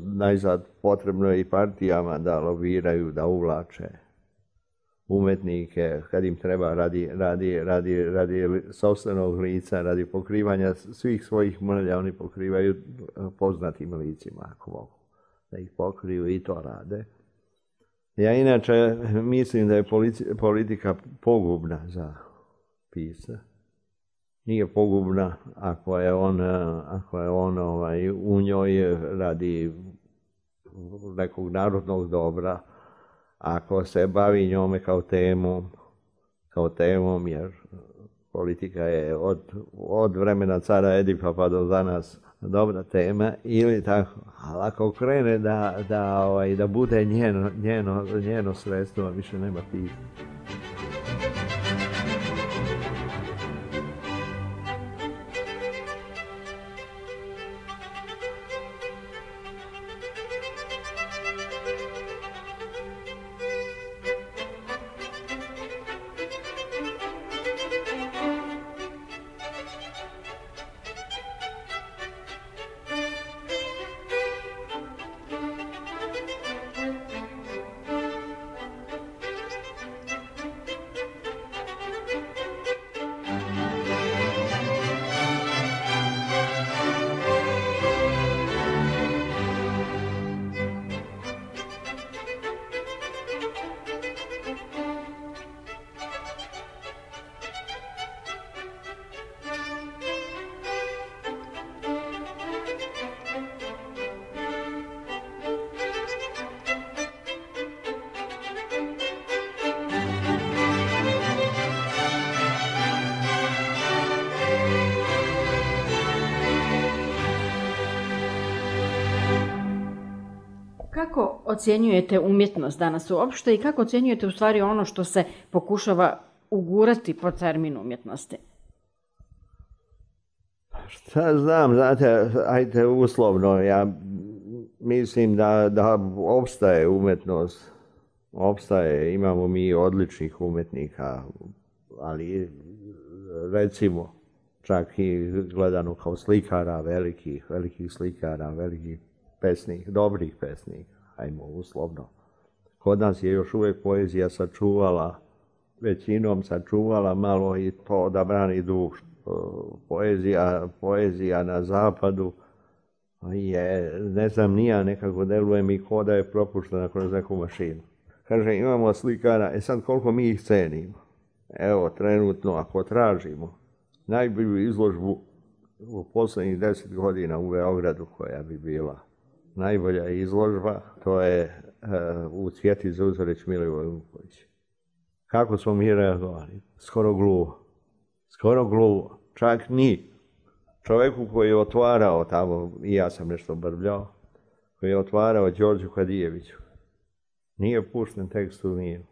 Najzad potrebno je i partijama da lobiraju, da uvlače umetnike kad im treba radi, radi, radi, radi sopstvenog lica, radi pokrivanja svih svojih mrlja, oni pokrivaju poznatim licima ako mogu da ih pokriju i to rade. Ja inače mislim da je politika pogubna za pisca. Nije pogubna ako je on, ako je on ovaj, u njoj radi nekog narodnog dobra, ako se bavi njome kao temom, kao temom, jer politika je od, od vremena cara Edipa pa do danas dobra tema, ili tako, ali ako krene da, da, ovaj, da bude njeno, njeno, njeno sredstvo, više nema pisma. Kako ocjenjujete umjetnost danas uopšte i kako ocjenjujete u stvari ono što se pokušava ugurati po terminu umjetnosti? Šta znam, znate, ajte uslovno, ja mislim da, da opstaje umjetnost, opstaje, imamo mi odličnih umjetnika, ali recimo čak i gledano kao slikara, velikih, velikih slikara, velikih pesnik, dobrih pesnika, ajmo uslovno. Kod nas je još uvijek poezija sačuvala, većinom sačuvala malo i to da brani dušu. Poezija, poezija na zapadu je, ne znam, nija nekako deluje mi ko da je propuštena kroz neku mašinu. Kaže, imamo slikara, e sad koliko mi ih cenimo. Evo, trenutno, ako tražimo najbolju izložbu u posljednjih deset godina u Beogradu koja bi bila najbolja izložba, to je uh, u Cvjeti Zuzorić Milivoj Vuković. Kako smo mi reagovali? Skoro gluvo. Skoro gluvo. Čak ni čovjeku koji je otvarao tamo, i ja sam nešto brbljao, koji je otvarao Đorđu Kadijeviću. Nije pušten tekst u Ninu.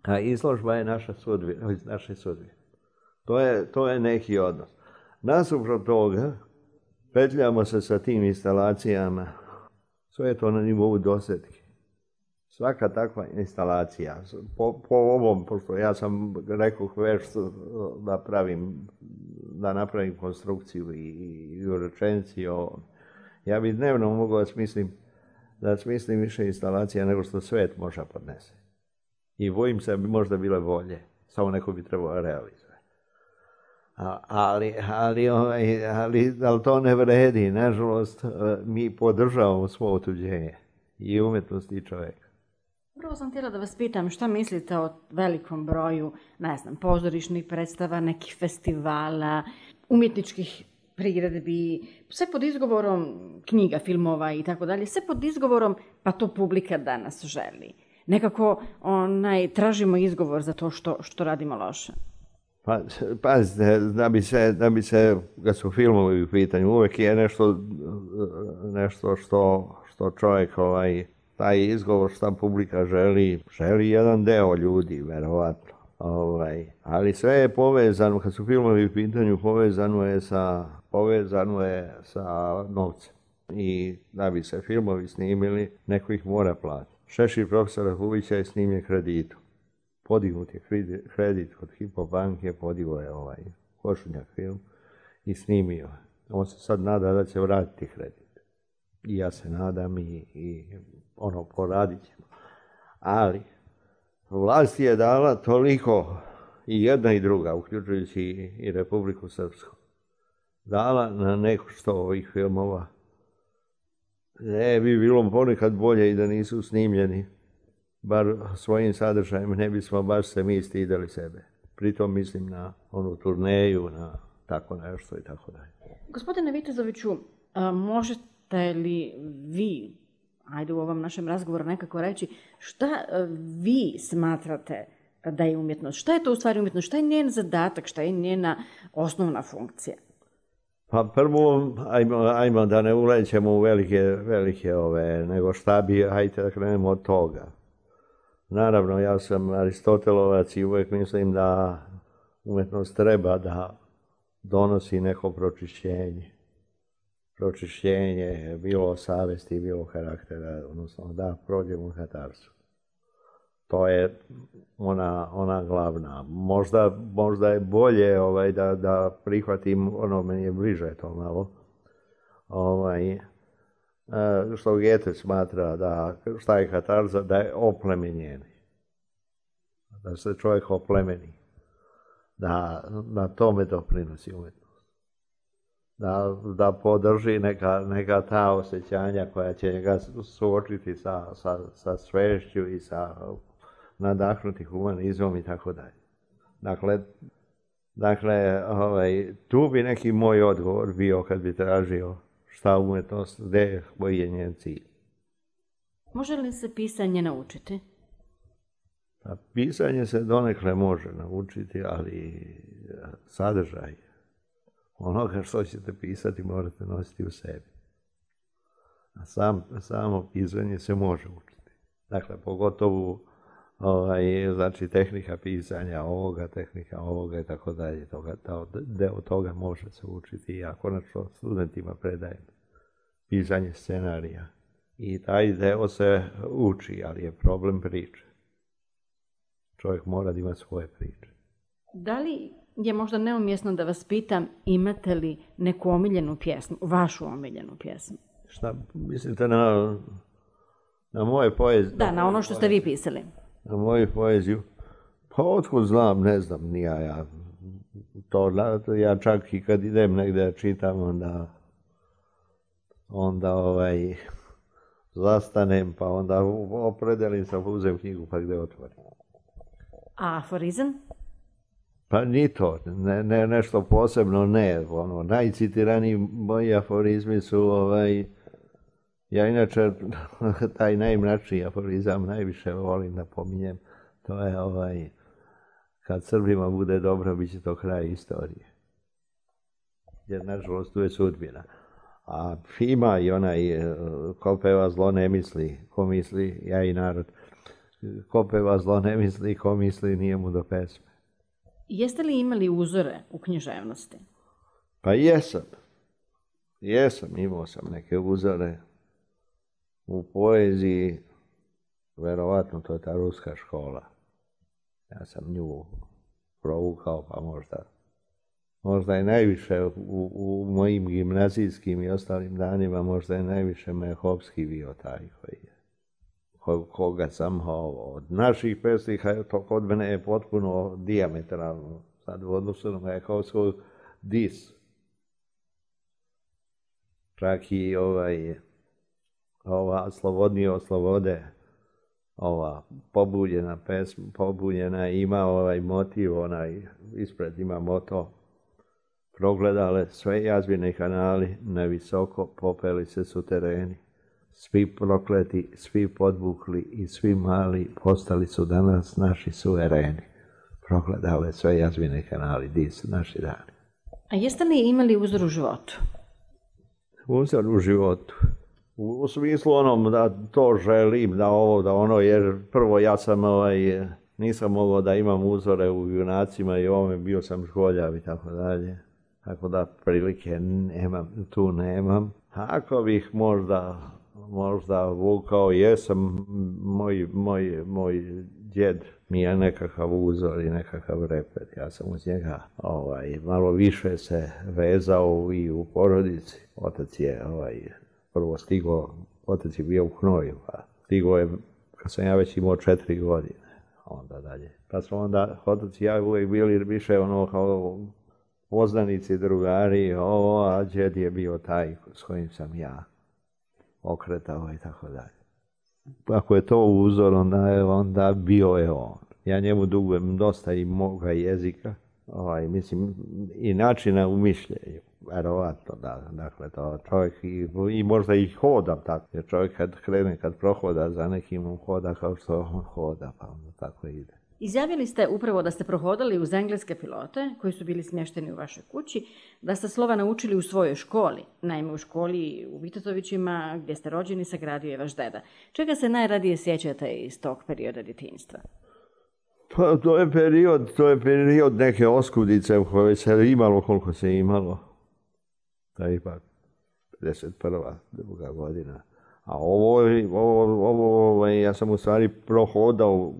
A izložba je naša sudbina, naše sudbine. To je, to je neki odnos. Nasuprot toga, petljamo se sa tim instalacijama, sve je to na nivou dosetke. Svaka takva instalacija, po, po ovom, pošto ja sam rekao već da pravim, da napravim konstrukciju i, i u rečenici o Ja bi dnevno mogao da smislim, da smislim više instalacija nego što svet može podnese. I bojim se da bi možda bile bolje, samo neko bi trebalo realizovati. Ali, ali, ali, ali, ali to ne vredi, nažalost, mi podržavamo svo otuđenje i umjetnosti i čovjeka. Prvo sam htjela da vas pitam šta mislite o velikom broju, ne znam, pozorišnih predstava, nekih festivala, umjetničkih priredbi, sve pod izgovorom knjiga, filmova i tako dalje, sve pod izgovorom pa to publika danas želi. Nekako onaj, tražimo izgovor za to što, što radimo loše. Pa, pazite, da bi se, da bi se, kad su filmovi u pitanju, uvijek je nešto, nešto što, što čovjek, ovaj, taj izgovor što publika želi, želi jedan deo ljudi, verovatno. Ovaj, ali sve je povezano, kad su filmovi u pitanju, povezano je sa, povezano je sa novcem. I da bi se filmovi snimili, neko ih mora platiti. Šešir profesora Huvića je snimljen kreditom. Podignut je kredit kod Hypo banke, podigao je ovaj Košunjak film i snimio. On se sad nada da će vratiti kredit. I ja se nadam i, i ono, poradit ćemo. Ali, vlast je dala toliko, i jedna i druga, uključujući i, i Republiku Srpsku, dala na neko što ovih filmova. Ne bi bilo ponekad bolje i da nisu snimljeni. Bar svojim sadržajem ne bismo baš se mi stidali sebe. Pritom mislim na onu turneju, na tako nešto i tako dalje. Gospodine Vitezoviću, možete li vi, ajde u ovom našem razgovoru nekako reći, šta vi smatrate da je umjetnost? Šta je to u stvari umjetnost? Šta je njen zadatak? Šta je njena osnovna funkcija? Pa prvo, ajmo, ajmo da ne ulećemo u velike, velike ove, nego šta bi, hajte da krenemo od toga. Naravno, ja sam Aristotelovac i uvijek mislim da umjetnost treba da donosi neko pročišćenje. Pročišćenje, bilo savesti, bilo karaktera, odnosno da prođemo u katarsu. To je ona, ona glavna. Možda, možda je bolje ovaj, da, da prihvatim, ono meni je bliže to malo, ovaj, što Goethe smatra da šta je katarza, da je oplemenjeni. Da se čovjek oplemeni. Da na tome doprinosi umjetnost. Da, da podrži neka, neka ta osjećanja koja će ga suočiti sa, sa, sa svešću i sa nadahnuti humanizmom i tako dalje. Dakle, dakle ovaj, tu bi neki moj odgovor bio kad bi tražio šta umjetnost, gdje, koji je njen cilj. Može li se pisanje naučiti? Pa, pisanje se donekle može naučiti, ali sadržaj onoga što ćete pisati morate nositi u sebi. A sam, samo pisanje se može učiti. Dakle, pogotovo ovaj, znači, tehnika pisanja ovoga, tehnika ovoga i tako dalje. Toga, deo toga može se učiti. Ja konačno studentima predajem pisanje scenarija. I taj deo se uči, ali je problem priče. Čovjek mora da ima svoje priče. Da li je možda neumjesno da vas pitam, imate li neku omiljenu pjesmu, vašu omiljenu pjesmu? Šta mislite na, na moje poezije? Da, na ono što ste vi pisali. Na moju poeziju? Pa otkud znam, ne znam, nija ja. To, ja čak i kad idem negdje da čitam, onda, onda ovaj, zastanem, pa onda opredelim se, uzem knjigu pa gdje otvorim. A aforizam? Pa ni to, ne, ne, nešto posebno ne. Ono, najcitiraniji moji aforizmi su, ovaj, ja inače taj najmračniji aforizam najviše volim da pominjem, to je ovaj, kad Srbima bude dobro, bit će to kraj istorije. Jer nažalost tu je sudbina. A ima i onaj, ko peva zlo ne misli, ko misli, ja i narod, ko peva zlo ne misli, ko misli nije mu do pesme. Jeste li imali uzore u književnosti? Pa jesam. Jesam, imao sam neke uzore u poeziji, verovatno to je ta ruska škola. Ja sam nju provukao, pa možda možda je najviše u, u mojim gimnazijskim i ostalim danima, možda je najviše Mehovski bio taj koji je, ko, koga sam od naših pesnika, to kod mene je potpuno dijametralno, sad u odnosu na Mehovskog dis. Čak i ovaj, ova Slobodnije od slobode, ova pobuđena pesma, pobuđena ima ovaj motiv, onaj ispred ima moto: progledale sve jazbine kanali, na visoko popeli se sutereni. Svi prokleti, svi podvukli i svi mali postali su danas naši suvereni. Progledale sve jazbine kanali, di su naši dani. A jeste li imali uzor u životu? Uzor u životu. U, u smislu onom da to želim, da ovo, da ono, jer prvo ja sam ovaj, nisam mogao da imam uzore u junacima i ovome, bio sam školjav i tako dalje. Tako da prilike nemam, tu nemam. Ako bih možda, možda vukao, jesam, moj, moj, moj djed mi je nekakav uzor i nekakav repet. Ja sam uz njega ovaj, malo više se vezao i u porodici. Otac je ovaj, prvo stigao, otac je bio u Hnoju, pa stigao je kad sam ja već imao četiri godine, onda dalje. Pa smo onda, otac i ja uvijek bili više ono kao poznanici, drugari, ovo, a djed je bio taj s kojim sam ja okretao i tako dalje. Ako je to uzor, onda je onda bio je on. Ja njemu dugujem dosta i moga jezika, ovaj, mislim, i načina u mišljenju. Verovatno, da, dakle, to čovjek i, i možda i hodam tako, jer čovjek kad krene, kad prohoda za nekim, on hoda kao što on hoda, pa onda tako ide. Izjavili ste upravo da ste prohodali uz engleske pilote koji su bili smješteni u vašoj kući, da ste slova naučili u svojoj školi. Naime, u školi u Vitetovićima, gdje ste rođeni, sagradio je vaš deda. Čega se najradije sjećate iz tog perioda djetinjstva? Pa to je period, to je period neke oskudice u kojoj se imalo koliko se imalo. To je ipak pedeset prva druga godina. A ovo, ovo, ovo, ovo, ja sam u stvari prohodao,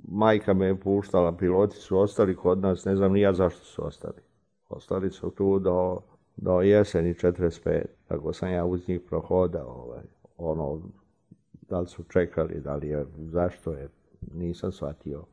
majka me je puštala, piloti su ostali kod nas, ne znam ni ja zašto su ostali. Ostali su tu do, do jeseni četrdeset pete. Tako sam ja uz njih prohodao. Ovaj, ono, da li su čekali, da li je, zašto je, nisam shvatio.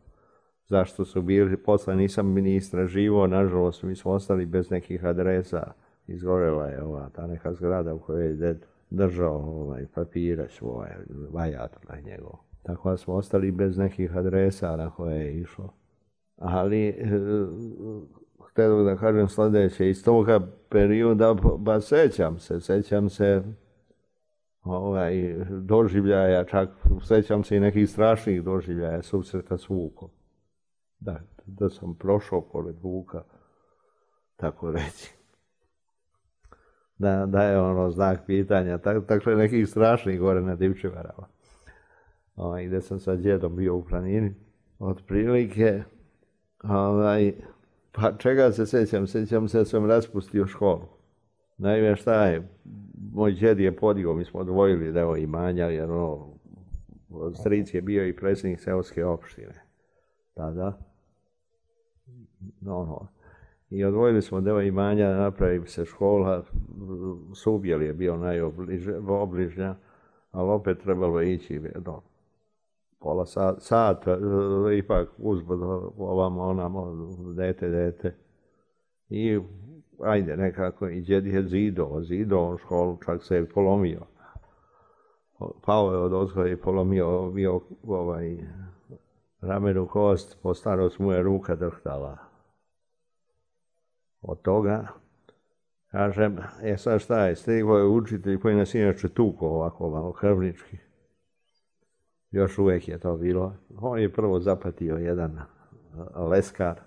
Zašto su bili, posle nisam ni istraživao, nažalost mi smo ostali bez nekih adresa. Izgorela je ova, ta neka zgrada u kojoj je ded držao ovaj, papire svoje, vajatora njegov. Tako da smo ostali bez nekih adresa na koje je išlo. Ali, e, htio da kažem sljedeće, iz toga perioda, ba sećam se, sećam se ovaj, doživljaja, čak sećam se i nekih strašnih doživljaja, susreta s Vukom. Da, da sam prošao pored Vuka, tako reći. Da, da je ono znak pitanja, tako, tako je nekih strašnih gore na Divčivarama. Ovaj, gdje sam sa djedom bio u planini, otprilike, ovaj, pa čega se sjećam, sjećam se da sam raspustio školu. Naime, šta je, moj djed je podigao, mi smo odvojili deo imanja, jer ono, stric je bio i predsjednik seoske opštine, tada, no, no. I odvojili smo deo imanja, napravi se škola, Subjel je bio najobližnja, ali opet trebalo ići, no, pola sata, sat, ipak uzbud ovamo, onamo, dete, dete. I ajde, nekako, i djed je zido, zido školu, čak se je polomio. Pao je od ozgoja i polomio bio ovaj, ramenu kost, po starost mu je ruka drhtala. Od toga, kažem, e sad šta je, stigao je učitelj koji nas inače tuko ovako malo krvnički. Još uvijek je to bilo. On je prvo zapatio jedan leskar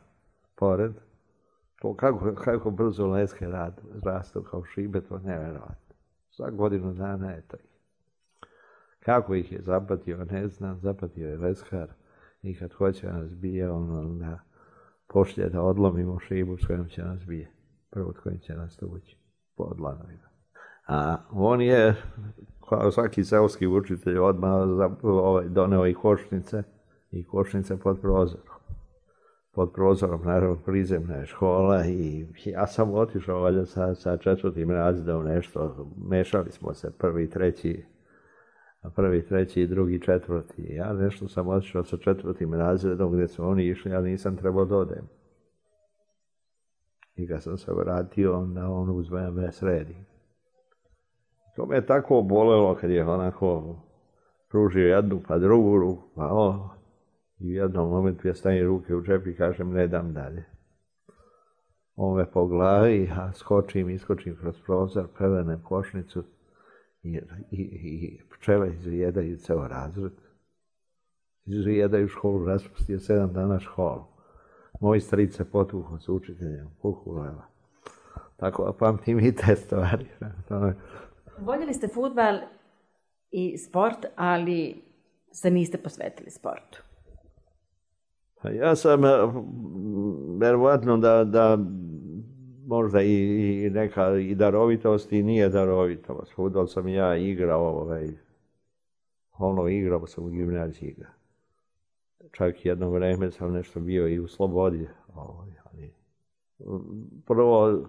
pored. To kako, kako brzo leske rad, rastu kao šibe, to nevjerovatno. Za godinu dana je to. Kako ih je zapatio, ne znam, zapatio je leskar i kad hoće nas bije, on onda pošlje da odlomimo šibu s kojom će nas bije. Prvo s kojim će nas tući, po dlanovima. A on je, kao svaki seoski učitelj, odmah ovaj, doneo i košnice, i košnice pod prozorom. pod prozorom, naravno, prizemne škola i ja sam otišao valjda sa, sa četvrtim razredom nešto, mešali smo se prvi, treći, prvi, treći, drugi, četvrti. Ja nešto sam otišao sa četvrtim razredom gdje su oni išli, ja nisam trebao da odem. I kad sam se vratio, onda on uzme me sredi. To me je tako bolelo kad je onako pružio jednu pa drugu ruku, pa o, i u jednom momentu ja stavim ruke u džep i kažem ne dam dalje. On me po glavi, a skočim, iskočim kroz prozor, prevenem košnicu i, i, i pčele izvijedaju ceo razred. Izvijedaju školu, raspustio sedam dana školu. Moj stric se potuho s učiteljem, kukuleva. Tako pamtim i te stvari. Voljeli ste fudbal i sport, ali se niste posvetili sportu. Ja sam, verovatno da, da možda i, i neka i darovitost i nije darovitost. Fudbal sam ja igrao, ovaj, ono igrao sam u gimnaziji. Čak jedno vreme sam nešto bio i u Slobodi. Ovaj, ali, prvo,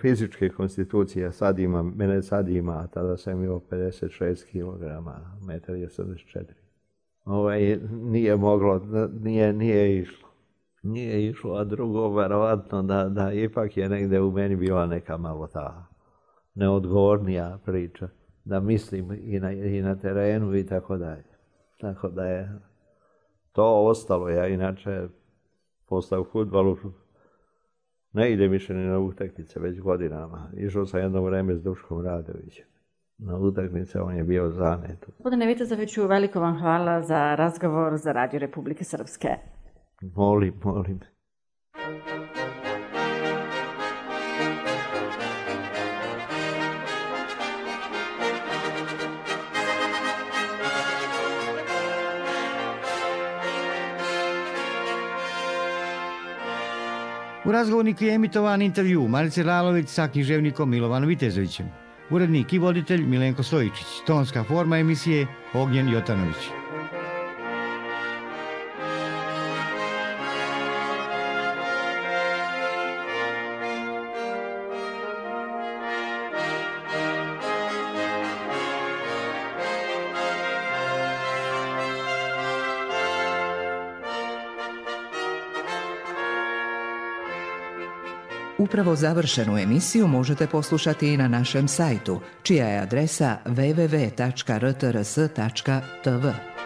fizičke konstitucije sad ima, mene sad ima, a tada sam imao pedeset šest kilograma, metar i osamdeset četiri. Ovaj, nije moglo, nije, nije išlo. Nije išlo, a drugo, verovatno, da, da ipak je negde u meni bila neka malo ta neodgovornija priča. Da mislim i na, i na terenu i tako dalje. Tako da je to ostalo. Ja inače, posle u fudbalu, ne ide više ni na utakmice već godinama. Išao sam jedno vreme s Duškom Radovićem. Na utakmice on je bio zanet. Gospodine Vitezoviću, veliko vam hvala za razgovor za Radio Republike Srpske. Molim, molim. U razgovorniku je emitovan intervju Marice Lalović sa književnikom Milovanom Vitezovićem. Urednik i voditelj Milenko Stojičić. Tonska forma emisije Ognjen Jotanović. Upravo završenu emisiju možete poslušati i na našem sajtu, čija je adresa w w w tačka r t r s tačka t v.